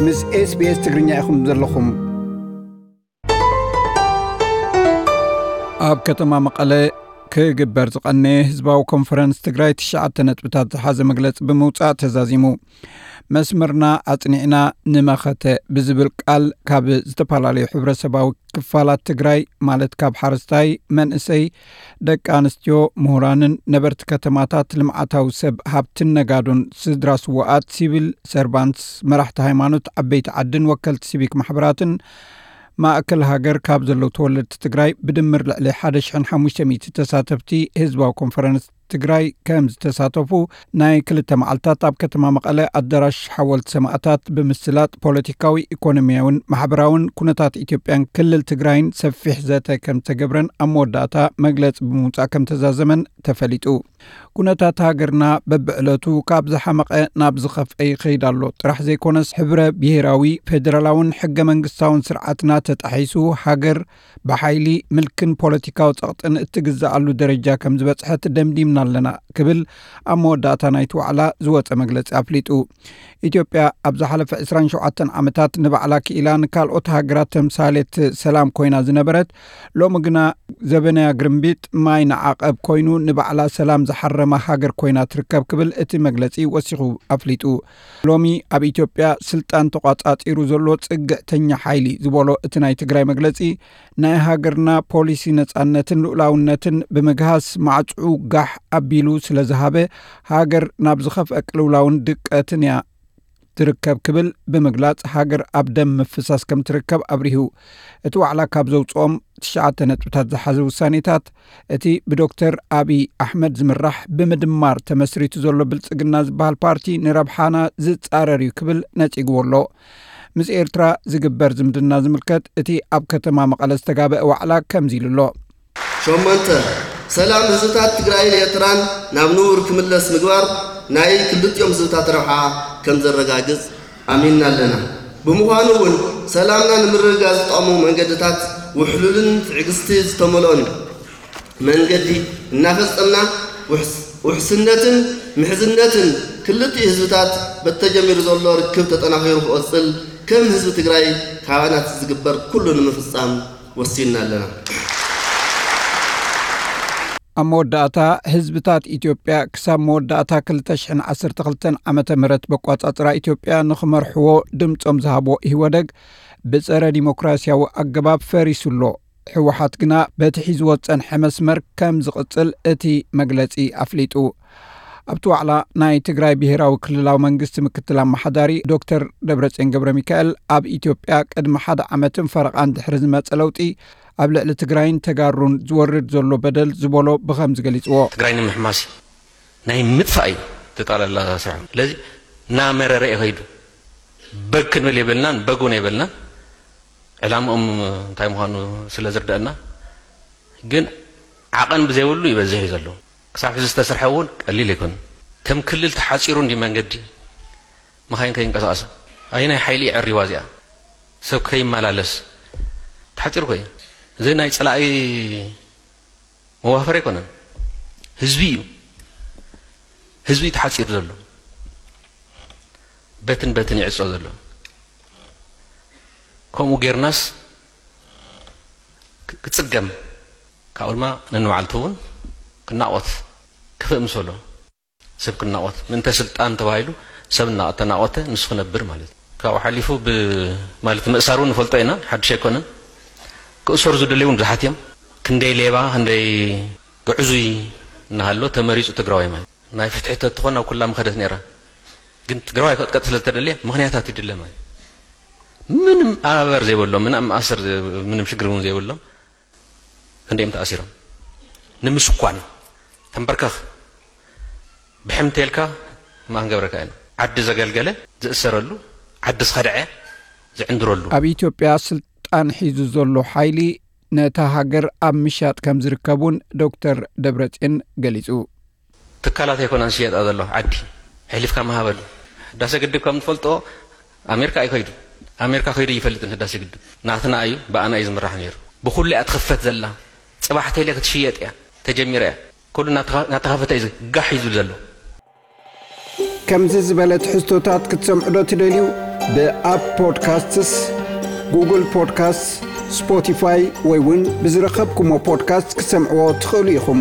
ምስ SBS ትግርኛ ኢኹም ዘለኹም። ኣብ ከተማ መቐለ ክግበር ዝቐነየ ህዝባዊ ኮንፈረንስ ትግራይ ትሽዓተ ነጥብታት ዝሓዘ መግለጺ ብምውጻእ ተዛዚሙ። መስመርና ኣጽኒዕና ንመኸተ ብዝብል ቃል ካብ ዝተፈላለዩ ሕብረተሰባዊ ክፋላት ትግራይ፣ ማለት ካብ ሓረስታይ፣ መንእሰይ፣ ደቂ ኣንስትዮ፣ ምሁራንን ነበርቲ ከተማታት፣ ልምዓታዊ ሰብ ሃብትን ነጋዶን፣ ስድራ ስውኣት፣ ሲቪል ሰርቫንትስ፣ መራሕቲ ሃይማኖት፣ ዓበይቲ ዓድን ወከልቲ ሲቪክ ማሕበራትን ማእከል ሃገር ካብ ዘለዉ ተወለድቲ ትግራይ ብድምር ልዕሊ ሓደ ሽሕን ሓሙሽተ ሚእቲ ተሳተፍቲ ህዝባዊ ኮንፈረንስ ትግራይ ከም ዝተሳተፉ ናይ ክልተ መዓልታት ኣብ ከተማ መቐለ ኣዳራሽ ሓወልቲ ሰማእታት ብምስላጥ ፖለቲካዊ፣ ኢኮኖሚያውን ማሕበራውን ኩነታት ኢትዮጵያን ክልል ትግራይን ሰፊሕ ዘተ ከም ዝተገብረን ኣብ መወዳእታ መግለጺ ብምውጻእ ከም ተዛዘመን ተፈሊጡ። ኩነታት ሃገርና በብዕለቱ ካብ ዝሓመቐ ናብ ዝኸፍአ ይኸይድ ኣሎ ጥራሕ ዘይኮነስ ሕብረ ብሄራዊ ፌደራላውን ሕገ መንግስታውን ስርዓትና ተጣሒሱ ሃገር ብሓይሊ ምልክን ፖለቲካዊ ጸቕጥን እትግዛኣሉ ደረጃ ከም ዝበጽሐት ደምዲምና ኣለና ክብል ኣብ መወዳእታ ናይቲ ዋዕላ ዝወጸ መግለጺ ኣፍሊጡ። ኢትዮጵያ ኣብ ዝሓለፈ ዕስራን ሸውዓተን ዓመታት ንባዕላ ክኢላ ንካልኦት ሃገራት ተምሳሌት ሰላም ኮይና ዝነበረት፣ ሎሚ ግና ዘበናያ ግርምቢጥ ማይ ንዓቐብ ኮይኑ ንባዕላ ሰላም ዝሓረማ ሃገር ኮይና ትርከብ ክብል እቲ መግለጺ ወሲኹ ኣፍሊጡ። ሎሚ ኣብ ኢትዮጵያ ስልጣን ተቋጻጺሩ ዘሎ ጽግዕተኛ ሓይሊ ዝበሎ እቲ ናይ ትግራይ መግለጺ፣ ናይ ሃገርና ፖሊሲ ነጻነትን ልኡላውነትን ብምግሃስ ማዕጽኡ ጋሕ ኣቢሉ ስለ ዝሃበ፣ ሃገር ናብ ዝኸፍአ ቅልውላውን ድቀትን እያ ትርከብ ክብል ብምግላጽ፣ ሃገር ኣብ ደም ምፍሳስ ከም ትርከብ ኣብሪሁ። እቲ ዋዕላ ካብ ዘውጽኦም ትሽዓተ ነጥብታት ዝሓዘ ውሳኔታት፣ እቲ ብዶክተር ኣብይ ኣሕመድ ዝምራሕ ብምድማር ተመስሪቱ ዘሎ ብልጽግና ዝበሃል ፓርቲ ንረብሓና ዝጻረር እዩ ክብል ነጺግዎ ኣሎ። ምስ ኤርትራ ዝግበር ዝምድና ዝምልከት እቲ ኣብ ከተማ መቐለ ዝተጋበአ ዋዕላ ከምዚ ኢሉ ኣሎ። ሸሞንተ፣ ሰላም ህዝብታት ትግራይን ኤርትራን ናብ ንቡር ክምለስ ምግባር ናይ ክልቲኦም ህዝብታት ረብሓ ከም ዘረጋግጽ ኣሚንና ኣለና። ብምዃኑ እውን ሰላምና ንምርግጋጽ ዝጠቕሙ መንገድታት ውሕሉልን ትዕግስቲ ዝተመልኦን መንገዲ እናፈጸምና ውሕስ-፣ ውሕስነትን ምሕዝነትን ክልቲኡ ህዝብታት በቲ ተጀሚሩ ዘሎ ርክብ ተጠናኺሩ ክቐጽል ከም ህዝቢ ትግራይ ካባና ዝግበር ኩሉ ንምፍጻም ወሲንና ኣለና። ኣብ መወዳእታ፣ ህዝብታት ኢትዮጵያ ክሳብ መወዳእታ ክልተ ሽሕን ዓሰርተ ክልተን ዓመተ ምህረት በቋጻጽራ ኢትዮጵያ ንኽመርሕዎ ድምጾም ዝሃብዎ ኢህወደግ ብጸረ ዲሞክራሲያዊ ኣገባብ ፈሪሱ ኣሎ። ህወሓት ግና በቲ ሒዝዎ ዝጸንሐ መስመር ከም ዝቕጽል እቲ መግለጺ ኣፍሊጡ። ኣብቲ ዋዕላ ናይ ትግራይ ብሄራዊ ክልላዊ መንግስቲ ምክትል ኣመሓዳሪ ዶክተር ደብረጽዮን ገብረ ሚካኤል፣ ኣብ ኢትዮጵያ ቅድሚ ሓደ ዓመትን ፈረቓን ድሕሪ ዝመጸ ለውጢ ኣብ ልዕሊ ትግራይን ተጋሩን ዝወርድ ዘሎ በደል ዝበሎ ብኸምዚ ገሊጽዎ። ትግራይ ንምሕማስ እዩ። ናይ ምጥፋእ እዩ ተጣላላ ስራሕ። ስለዚ እናመረረ እዩ ከይዱ። በግ ክንብል የብልናን፣ በግ እውን የብልናን። ዕላምኦም እንታይ ምዃኑ ስለ ዝርደአና፣ ግን ዓቐን ብዘይብሉ ይበዝሕ እዩ ዘሎ። ክሳብ ሕዚ ዝተሰርሐ እውን ቀሊል ኣይኮነን። ከም ክልል ተሓፂሩ እንዲ መንገዲ፣ መኻይን ከይንቀሳቐሳ፣ ኣየናይ ሓይሊ እዩ ዕሪዋ እዚኣ? ሰብ ከይመላለስ ተሓፂሩ እኮ እዩ። እዚ ናይ ፀላኢ መዋፈር ኣይኮነን፣ ህዝቢ እዩ። ህዝቢ እዩ ተሓፂሩ ዘሎ፣ በትን በትን ይዕፆ ዘሎ። ከምኡ ጌርናስ ክ-፣ ክፅገም፣ ካብኡ ድማ ነንባዕልቱ እውን ክናቆት ክፍእ ምሰሎ። ሰብ ክናቆት፣ ምእንተ ስልጣን ተባሂሉ ሰብ እና-፣ ተናቆተ ንሱ ክነብር ማለት እዩ። ካብኡ ሓሊፉ ብ-፣ ማለት ምእሳር እውን ንፈልጦ ኢና፣ ሓድሽ ኣይኮነን። ክእሰሩ ዝደለዩ እውን ብዙሓት እዮም። ክንደይ ሌባ፣ ክንደይ ግዕዙይ እናሃሎ ተመሪፁ ትግራዋይ ማለት። ናይ ፍትሒ ተትኾን ኣብ ኩላ ምኸደት ነይራ። ግን ትግራዋይ ክትቀጥ ስለ ዝተደልየ ምኽንያታት ይድለ ማለት። ምንም ኣበር ዘይብሎም፣ ምንም መኣሰር ዘይ-፣ ምንም ሽግር እውን ዘይብሎም ክንደዮም ተኣሲሮም። ንምስኳን ተንበርከኽ ብሕምቴልካ ማን ገብረካ ኢና። ዓዲ ዘገልገለ ዝእሰረሉ፣ ዓዲ ዝኸድዐ ዝዕንድረሉ። ኣብ ኢትዮጵያ ስልጣን ሒዙ ዘሎ ሓይሊ ነታ ሃገር ኣብ ምሻጥ ከም ዝርከብ እውን ዶክተር ደብረጽዮን ገሊጹ። ትካላት ኣይኮናን ዝሽየጣ ዘሎ ዓዲ፣ ኣሕሊፍካ ምሃበሉ። ህዳሰ ግድብ ከም ትፈልጦ ኣሜሪካ ኣይከይዱ። ኣሜሪካ ከይዱ ይፈልጥን ህዳሰ ግድብ ናትና እዩ፣ ብኣና እዩ ዝምራሕ ነይሩ። ብኩሉ እያ ትኽፈት ዘላ። ጽባሕ ተይለ ክትሽየጥ እያ ተጀሚራ እያ። ኩሉ እናተኸ-፣ እናተኸፈተ እዩ ጋሕ እዩ ዝብል ዘሎ። ከምዚ ዝበለ ትሕዝቶታት ክትሰምዑ ዶ ትደልዩ? ብኣፕ ፖድካስትስ፣ ጉግል ፖድካስት፣ ስፖቲፋይ ወይ እውን ብዝረኸብኩሞ ፖድካስት ክትሰምዕዎ ትኽእሉ ኢኹም።